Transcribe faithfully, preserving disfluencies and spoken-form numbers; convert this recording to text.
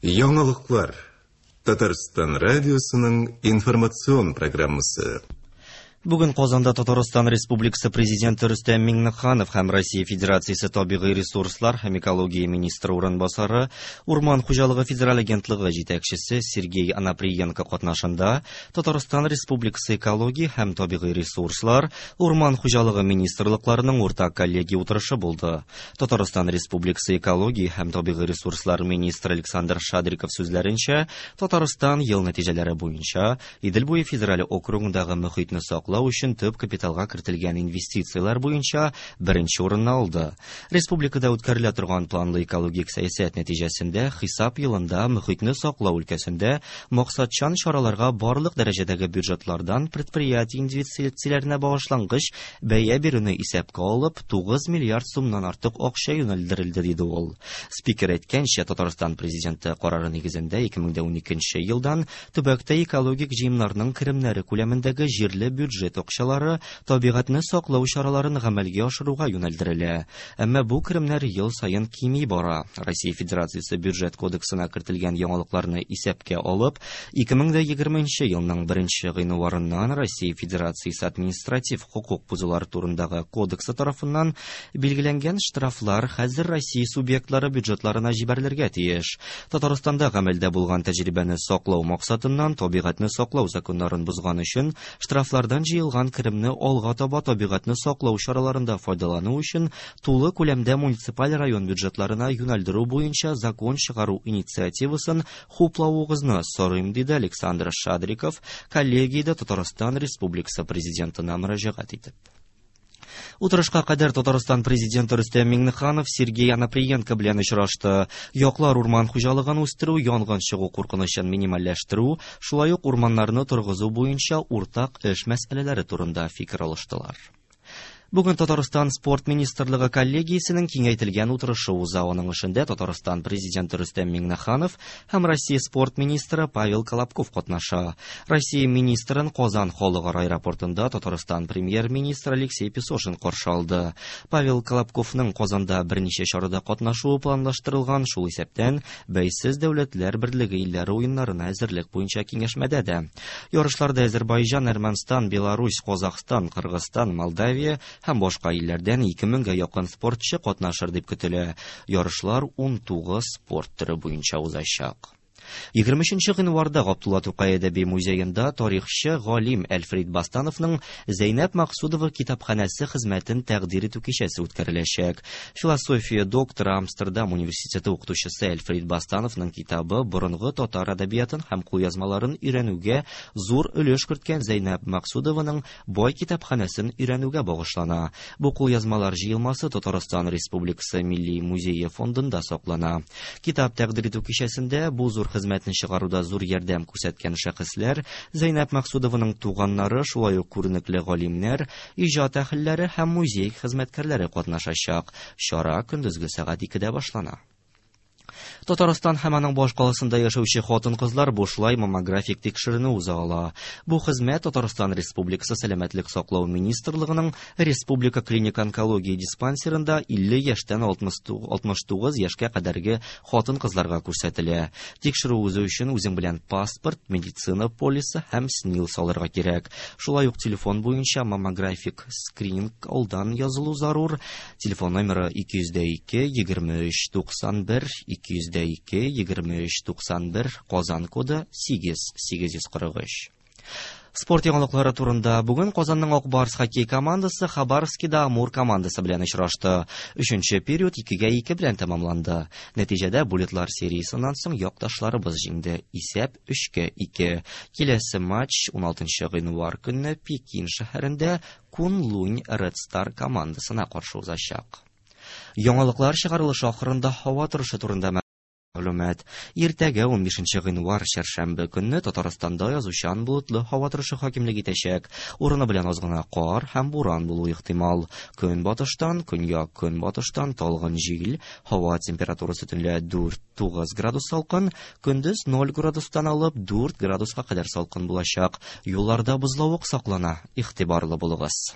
Яңалыклар. Татарстан радиосының информацион программасы. Бүген Казанда Татарстан Республикасы Президенты Рөстәм Миңнеханов һәм Россия Федерациясе табигый ресурслар һәм экология министры урынбасары, Урман хуҗалыгы федераль агентлыгы җитәкчесе Сергей Анаприенко катнашында Татарстан Республикасы экология һәм табигый ресурслар, Урман хуҗалыгы министрлыкларының уртак коллегия утырышы булды. Татарстан Республикасы экология һәм табигый ресурслар министры Александр Шадриков сүзләренчә, Татарстан ел нәтиҗәләре буенча Идел буе федераль округындагы мөхитне саклау өчен төп капиталга кертелгән инвестицияләр буенча беренче урынны алды. Республикада үткәрелә торган планлы экологик сәясәт нәтиҗәсендә хисап елында мөхитне саклау өлкәсендә максатчан чараларга барлык дәрәҗәдәге бюджетлардан предприятие инвестицияләренә багышлангыч бәя бирүне исәпкә алып тугыз миллиард сумнан артык акча юнәлдерелде, диде ул. Спикер әйткәнчә, Татарстан президенты карары нигезендә ике мең уникенче елдан төбәктә экологик җыемнарның керемнәре күләмендәге җирле бюджет акчалары табигатьне саклау чараларын гамәлгә ашыруга юнәлдерелә. Әмма бу керемнәр ел саен кими бара. Россия Федерациясе бюджет кодексына кертелгән яңалыкларны исәпкә алып, ике мең егерменче елның беренче гыйнварыннан Россия Федерациясе административ хокук бозулар турындагы кодексы тарафыннан билгеләнгән штрафлар хәзер Россия субъектлары бюджетларына җибәрелергә тиеш. Татарстанда гамәлдә булган тәҗрибәне саклау максатыннан табигатьне саклау законнарын бозган өчен штрафлардан җыелган керемне алга таба табигатьне саклау чараларында файдалану өчен тулы күләмдә муниципаль район бюджетларына юнәлдерү буенча закон чыгару инициативасын хуплавыгызны сорыйм, диде Александр Шадриков коллегиядә Татарстан Республикасы президентына мөрәҗәгать итеп. Утырышка кадәр Татарстан президенты Рөстәм Миңнеханов Сергей Анаприенко белән очрашты. Яклар урман хуҗалыгын үстерү, янгын чыгу куркынычын минимальләштерү, шулай ук урманнарны торгызу буенча уртак эш мәсьәләләре турында фикер алыштылар. Бүген Татарстан спорт министрлыгы коллегиясенең киңәйтелгән утырышы уза. Аның эшендә Татарстан президенты Рөстәм Миңнеханов һәм Россия спорт министры Павел Колобков катнаша. Россия министрын Казан халыкара аэропортында Татарстан премьер-министры Алексей Песошин каршы алды. Павел Колобковның Казанда берничә чарада катнашуы планлаштырылган, шул исәптән Бәйсез дәүләтләр берлеге илләре уеннарына әзерлек буенча киңәшмәдә дә. Ярышларда Азербайҗан, Әрмәнстан, Беларусь, Казахстан, Кыргызстан, Молдавия һәм башка илләрдән ике меңгә якын спортчы катнашыр дип көтелә. Ярышлар ун тугыз спорт төре буенча узачак. Егерме өченче гыйнварда Габдулла Тукай әдәби музеенда тарихчы галим Әлфрид Бастановның Зәйнәб Максудова китапханәсе хезмәтен тәкъдир итү кичәсе үткәреләчәк. Философия докторы, Амстердам университеты укытучысы Әлфрид Бастановның китабы борынгы татар әдәбиятын һәм кулъязмаларын өйрәнүгә зур өлеш керткән Зәйнәб Максудованың бай китапханәсен өйрәнүгә багышлана. Бу кулъязмалар җыелмасы Татарстан Республикасы Милли музее фондында саклана. Китап тәкъдир итү кичәсендә бу зур хезмәтне чыгаруда зур ярдәм күрсәткән шәхесләр, Зәйнәб Максудованың туганнары, шулай ук күренекле галимнәр, иҗат әһелләре һәм музей хезмәткәрләре катнашачак. Чара көндезге сәгать икедә башлана. Татарстан һәм аның башкаласында яшәүче хатын-кызлар бушлай маммографик тикшеренү уза ала. Бу хезмәт Татарстан Республикасы Сәламәтлек саклау министрлыгының Республика клиник онкология диспансерында илле яшьтән алтмыш тугыз яшькә кадәрге хатын-кызларга күрсәтелә. Тикшерү узу өчен үзең белән паспорт, медицина полисы һәм СНИЛС алырга кирәк. Шулай ук телефон буенча маммографик скрининг алдан язылу зарур. Телефон номеры ике йөз дә ике, егерме өч, туксан бер, ике йөз дә ике, егерме өч, туксан бер, Казан коды сигез, сигез йөз кырык өч. Спорт яңалыклары турында. Бүген Казанның Ак Барс хоккей командасы Хабаровскида Амур командасы белән очрашты. Өченче период икегә ике белән тәмамланды. Нәтиҗәдә булетлар сериясеннән соң якташларыбыз җиңде. Исәп өчкә ике. Киләсе матч уналтынчы гыйнвар көнне Пекин шәһәрендә Кунлунь Red Star командасына каршы узачак. Яңалыклар чыгарылышы ахырында һава торышы турында мәгълүмат. Иртәгә унбишенче гыйнвар чәршәмбе көнне Татарстанда язучан болытлы һава торышы хакимлек итәчәк. Урыны белән аз гына кар һәм буран булу ихтимал. Көнбатыштан, көньяк көнбатыштан талгын җил, һава температурасы төнлә дүрт тугыз градус салкын, көндез ноль градустан алып дүрт градуска кадәр салкын булачак. Юлларда бозлавык саклана. Игътибарлы булыгыз.